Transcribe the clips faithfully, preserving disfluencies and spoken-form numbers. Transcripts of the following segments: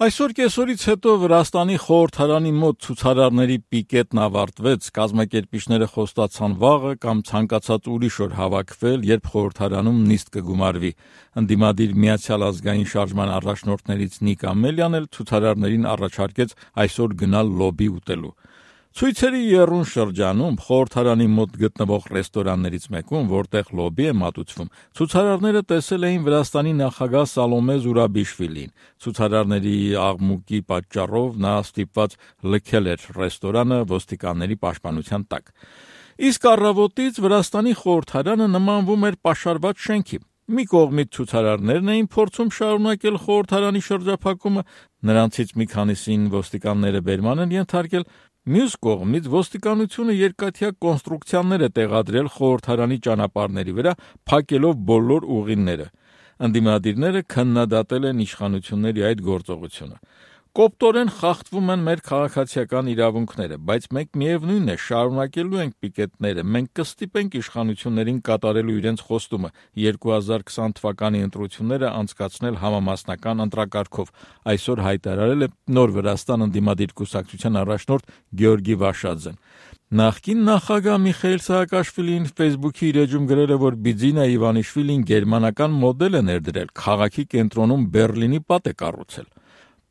Այսօր կեսօրից հետո Վրաստանի խորհրդարանի մոտ ցուցարարների պիկետն ավարտվեց, կազմակերպիչները խոստացան վաղը կամ ցանկացած ուրիշ օր հավաքվել, երբ խորհրդարանում նիստ կգումարվի։ Ընդդիմադիր Միացյալ ազգային շարժման առաջնորդներից Նիկ Ամելյան էլ ցուցարարներին առաջարկեց այսօր գնալ լոբի ուտելու։ Ցույցերի եռուն շրջանում խորհրդարանի մոտ գտնվող ռեստորաններից մեկում, որտեղ լոբի է մատուցվում, ցուցարարները տեսել էին Վրաստանի նախագահ Սալոմե Զուրաբիշվիլին։ Ցուցարարների աղմուկի պատճառով նա ստիպված լքել էր ռեստորանը ոստիկանների պաշտպանության տակ։ Իսկ առավոտից Վրաստանի խորհրդարանը նմանվում էր պաշարված շենքի։ Մի կողմից ցուցարարներն էին փորձում շարունակել խորհրդարանի շրջափակումը, նրանցից մի քանիսին ոստիկանները բերման են ենթարկել, մյուս կողմից ոստիկանությունը երկաթյա կոնստրուկցիաներ է տեղադրել խորհրդարանի ճանապարհների վրա, փակելով բոլոր ուղիները։ Ընդդիմադիրները քննադատել են իշխանությունների այդ գործողությունը։ Կոպտորեն խախտվում են մեր քաղաքացիական իրավունքները, բայց մենք միևնույն է շարունակելու ենք պիկետները, մենք կստիպենք իշխանություններին կատարելու իրենց խոստումը երկու հազար քսան թվականի ընտրությունները անցկացնել համամասնական ընտրակարգով, այսօր հայտարարել է Նոր Վրաստան ընդդիմադիր կուսակցության առաջնորդ Գեորգի Վաշաձեն։ Նախկին նախագահ Միխայիլ Սահակաշվիլին Facebook-ի իր էջում գրել է, որ Բիձինա Իվանիշվիլին գերմանական մոդել է ներդրել, քաղաքի կենտրոնում Բեռլինի պատ է կառուցել։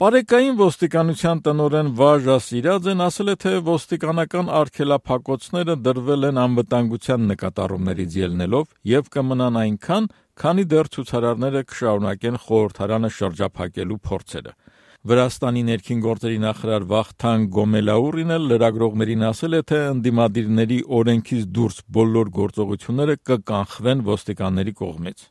Պարեկային ոստիկանության տնօրեն Վաժա Սիրաձեն ասել է, թե ոստիկանական արգելափակոցները դրվել են անվտանգության նկատառումներից ելնելով եւ կմնան այնքան, քանի դեռ ցուցարարները կշարունակեն խորհրդարանը շրջափակելու փորձերը։ Վրաստանի ներքին գործերի նախարար Վախթանգ Գոմելաուրին էլ լրագրողներին ասել է, թե ընդդիմադիրների օրենքից դուրս բոլոր գործողությունները կկանխվեն ոստիկանների կողմից։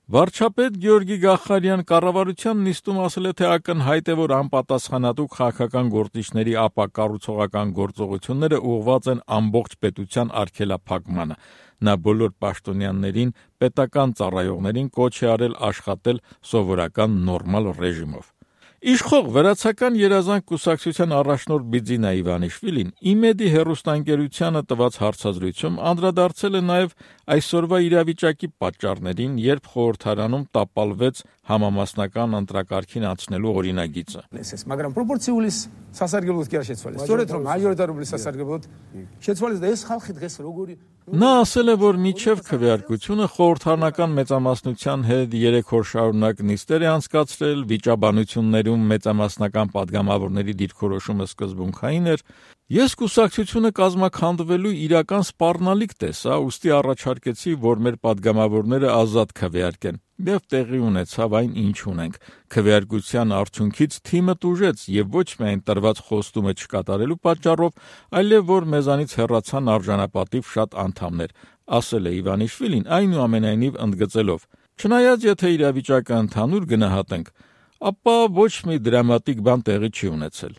Վարչապետ Գեորգի Գախարյան կառավարության նիստում ասել է, թե ակնհայտ է, որ անպատասխանատու քաղաքական գործիչների ապակառուցողական գործողությունները ուղղված են ամբողջ պետության արգելափակմանը։ Նա բոլոր պաշտոնյաներին, պետական ծառայողներին կոչ է արել աշխատել սովորական նորմալ ռեժիմով։ Իշխող Վրացական երազանք կուսակցության առաջնորդ Բիձինա Իվանիշվիլին ԻՄԵԴ-ի հեռուստաընկերությանը տված հարցազրույցում անդրադարձել է նաև այսօրվա իրավիճակի պատճառներին, երբ խորհրդարանում տապալվեց համամասնական ընտրակարգին անցնելու օրինագիծը։ Მაგრამ პროპორციული სასარგებლოდ კი არ შეცვალეს. Სწორედ რომ მაჟორიტარული სასარგებლოდ შეცვალეს და ეს ხალხი დღეს როგორი Նա ասել է, որ միջև քվեարկությունը խորհրդարանական մեծամասնության հետ երեք օր շարունակ նիստեր է անցկացրել, վիճաբանություններում մեծամասնական падգամավորների դիրքորոշումը սկզբունքային էր։ Ես կուսակցությունը կազմաքանդվելու իրական սպառնալիք տեսա, ուստի առաջարկեցի, որ մեր падգամավորները ազատ քվեարկեն, եւ տեղի ունեցավ այն, ինչ ունենք։ Քվեարկության արդյունքից թիմը տուժեց եւ ոչ միայն տրված խոստումը չկատարելու պատճառով, այլև որ մեզանից հեռացան արժանապատիվ շատ անդամներ, ասել է Իվանիշվիլին, այնուամենայնիվ ընդգծելով. Չնայած եթե իրավիճակը ընդհանուր գնահատենք, ապա ոչ մի դրամատիկ բան տեղի չի ունեցել։